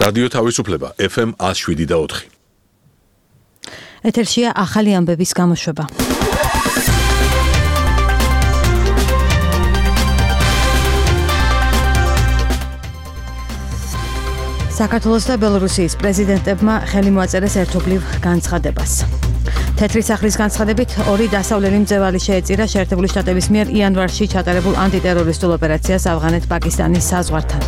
რადიო თავისუფლება FM 107.4. ეთერშია ახალი ამბების გამოშვება. საქართველოს და ბელორუსიის პრეზიდენტებმა ხელი მოაწერეს ერთობლივ განცხადებას. თეთრი სახლის განცხადებით ორი დასავლელი მძევალი შეეწირა შეერთებული შტატების მიერ იანვარში ჩატარებულ ანტიტერორისტულ ოპერაციას ავღანეთ-პაკისტანის საზღვართან.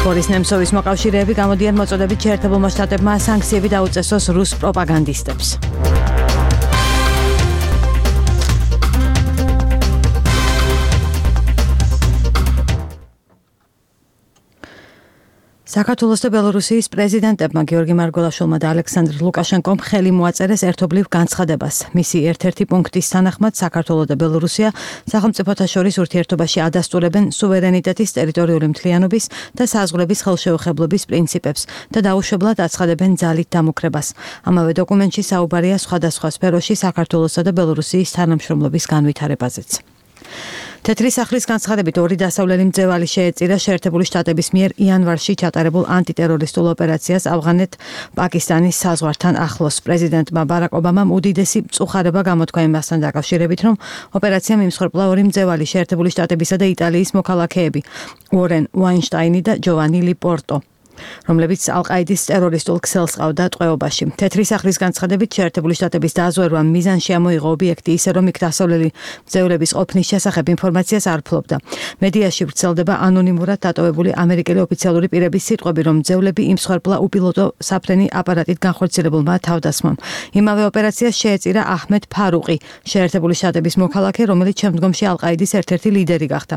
ბორის ნემცოვის მოკავშირეები გამოდიან მოწოდებით შეერთებულმა შტატებმა სანქციები დაუწესოს რუს პროპაგანდისტებს. საქართველოს და ბელორუსიის პრეზიდენტებმა გიორგი მარგველაშვილმა და ალექსანდრ ლუკაშენკომ ხელი მოაწერეს ერთობლივ განცხადებას. მისი ერთ-ერთი პუნქტის თანახმად საქართველო და ბელორუსია სახელმწიფოთა შორის ურთიერთობაში ადასტურებენ სუვერენიტეტის, ტერიტორიული მთლიანობის და საზღვრების ხელშეუხებლობის პრინციპებს და დაუშვებლად აცხადებენ ძალით დამუქრებას. ამავე დოკუმენტში საუბარია სხვადასხვა სფეროში საქართველოსა და ბელორუსიის თანამშრომლობის განვითარებაზეც. თეთრი სახლის განცხადებით ორი დასავლელი მძევალი შეეწირა შეერთებული შტატების მიერ იანვარში ჩატარებულ ანტიტერორისტულ ოპერაციას ავღანეთ-პაკისტანის საზღვართან ახლოს. პრეზიდენტმა ბარაკ ობამამ უდიდესი მწუხარება გამოთქვა იმასთან დაკავშირებით, რომ ოპერაციამ იმსხვერპლა ორი მძევალი შეერთებული შტატებისა და იტალიის მოქალაქეები, უორენ ვაინშტაინი და ჯოვანი ლიპორტო, რომლებიც ალ-ყაიდის ტერორისტულ ქსელს ყავდა ტყვეობაში. თეთრი სახლის განცხადებით შეერთებული შტატების დაზვერვამ მიზანში ამოიღო ობიექტი ისე, რომ იქ დასავლელი მძევლების ყოფნის შესახებ ინფორმაციას არ ფლობდა. მედიაში ვრცელდება ანონიმურად დატოვებული ამერიკელი ოფიციალური პირების სიტყვები, რომ მძევლები იმსხვერპლა უპილოტო საფრენი აპარატით განხორციელებულმა თავდასხმამ. იმავე ოპერაციას შეეწირა აჰმედ ფარუყი, შეერთებული შტატების მოქალაქე, რომელიც შემდგომში ალ-ყაიდის ერთ-ერთი ლიდერი გახდა.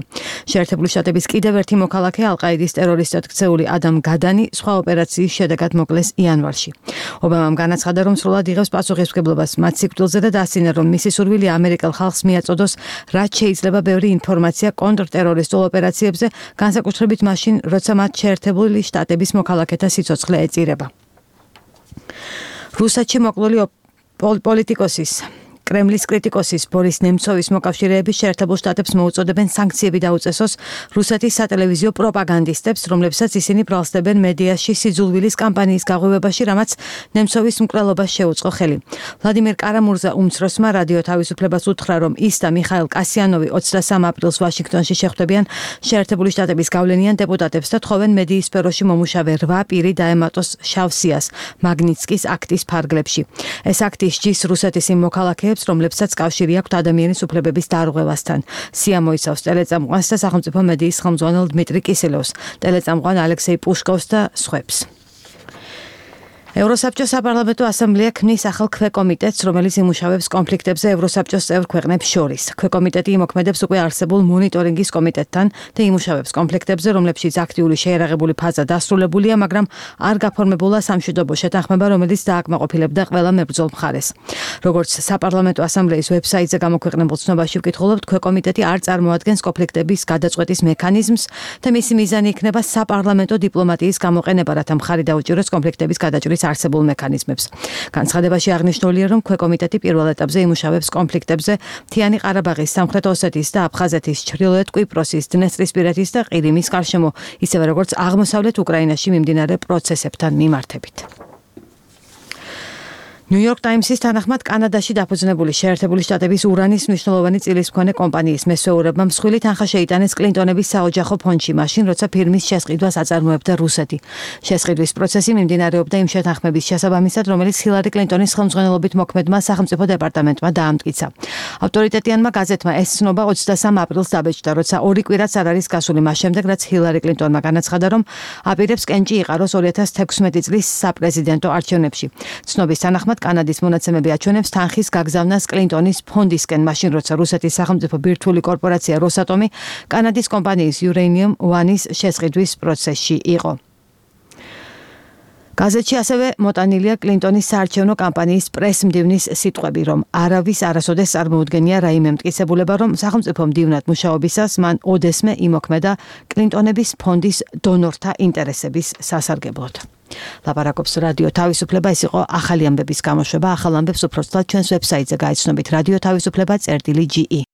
შეერთებული შტატების კიდევ ერთი მოქალაქე ალ-ყაიდის ტერორისტად ქცეული ადამ გადანი სხვა ოპერაციის შედეგად მოკლეს იანვარში. ობამამ განაცხადა, რომ სრულად იღებს პასუხისმგებლობას მათ სიკვდილზე და დასცინა, რომ მისი სურვილი ამერიკელ ხალხს მიაწოდოს, რაც შეიძლება ბევრი ინფორმაცია კონტრტერორისტულ ოპერაციებზე, განსაკუთრებით მაშინ, როცა მათ შეერთებული შტატების მოქალაქეთა სიცოცხლე ეწირება. რუსეთში მოკლული პოლიტიკოსის კრემლის კრიტიკოსის ბორის ნემცოვის მოკავშირეები შეერთებულ შტატებს მოუწოდებენ სანქციები დაუწესოს რუსეთის სატელევიზიო პროპაგანდისტებს, რომლებსაც ისინი ბრალსდებენ მედიაში სიძულვილის კამპანიის გაღვივებაში, რამაც ნემცოვის მკვლელობას შეუწყო ხელი. ვლადიმერ კარამურზა უმცროსმა რადიო თავისუფლებას უთხრა, რომ ის და მიხაილ კასიანოვი 23 აპრილს ვაშინგტონში შეხვდებიან შეერთებული შტატების გავლენიან დეპუტატებს და თხოვენ მედიის სფეროში მომუშავე 8 პირი დაემატოს შავ სიას მაგნიცკის აქტის ფარგლებში. ეს აქტი სჯის რუსეთის იმ მოქალაქეებს, რომლებსაც კავშირი აქვთ ადამიანის უფლებების დარღვევასთან. სია მოიცავს ტელეწამყვანს და სახელმწიფო მედიის ხელმძღვანელ დმიტრი კისელევს, ტელეწამყვან ალექსეი პუშკოვს და სხვებს. ევროსაბჭოს საპარლამენტო ასამბლეა ქმნის ახალ ქვეკომიტეტს, რომელიც იმუშავებს კონფლიქტებზე ევროსაბჭოს წევრ ქვეყნებს შორის. ქვეკომიტეტი იმოქმედებს უკვე არსებულ მონიტორინგის კომიტეტთან და იმუშავებს კონფლიქტებზე, რომლებშიც აქტიური შეიარაღებული ფაზა დასრულებულია, მაგრამ არ გაფორმებულა სამშვიდობო შეთანხმება, რომელიც დააკმაყოფილებდა ყველა მებრძოლ მხარეს. როგორც საპარლამენტო ასამბლეის ვებსაიტზე გამოქვეყნებულ ცნობაში ვკითხულობთ, ქვეკომიტეტი არ წარმოადგენს კონფლიქტების გადაწყვეტის მექანიზმს და მისი მიზანი იქნება საპარლამენტო დიპლომატიის გამოყენება, რათა მხარი დაუჭიროს კონფლიქტების გადაჭრის არსებულ მექანიზმებს. განცხადებაში აღნიშნულია, რომ ქვეკომიტეტი პირველ ეტაპზე იმუშავებს კონფლიქტებზე მთიანი ყარაბაღის, სამხრეთ ოსეთის და აფხაზეთის, ჩრდილოეთ კვიპროსის, დნესტრისპირეთის და ყირიმის გარშემო, ისევე როგორც აღმოსავლეთ უკრაინაში მიმდინარე პროცესებთან მიმართებით. ნიუ-იორკ ტაიმსის თანახმად კანადაში დაფუძნებული შეერთებული შტატების ურანის მნიშვნელოვანი წილისმქონე კომპანიის მესვეურებმა მსხვილი თანხა შეიტანეს კლინტონების საოჯახო ფონდში, მაშინ როცა ფირმის შესყიდვას აწარმოებდა რუსეთი. შესყიდვის პროცესი მიმდინარეობდა იმ შეთანხმების შესაბამისად, რომელიც ჰილარი კლინტონის ხელმძღვანელობით მოქმედმა სახელმწიფო დეპარტამენტმა დაამტკიცა. ავტორიტეტიანმა გაზეთმა ეს ცნობა 23 აპრილს დაბეჭდა, როცა ორი კვირაც არ არის გასული მას შემდეგ, რაც ჰილარი კლინტონმა განაცხადა, რომ აპირებს კენჭი იყაროს 2016 წლის საპრეზიდენტო არჩევნებში. ცნობის თანახმად კანადის მონაცემები აჩვენებს თანხის გაგზავნას კლინტონის ფონდისკენ, მაშინ როცა რუსეთის სახელმწიფო ბირთვული კორპორაცია როსატომი კანადის კომპანიის Uranium One-ის შესყიდვის პროცესში იყო. გაზეთში ასევე მოტანილია კლინტონის საარჩევნო კამპანიის პრეს-მდივნის სიტყვები, რომ არავის არასოდეს წარმოუდგენია რაიმე მტკიცებულება, რომ სახელმწიფო მდივნად მუშაობისას მან ოდესმე იმოქმედა კლინტონების ფონდის დონორთა ინტერესების სასარგებლოდ. ლაპარაკობს რადიო თავისუფლება, ეს იყო ახალი ამბების გამოშვება. ახალ ამბებს უფრო ცუდად ჩვენს ვებსაიტზე გაიცნობთ radio-tavisupleba.ge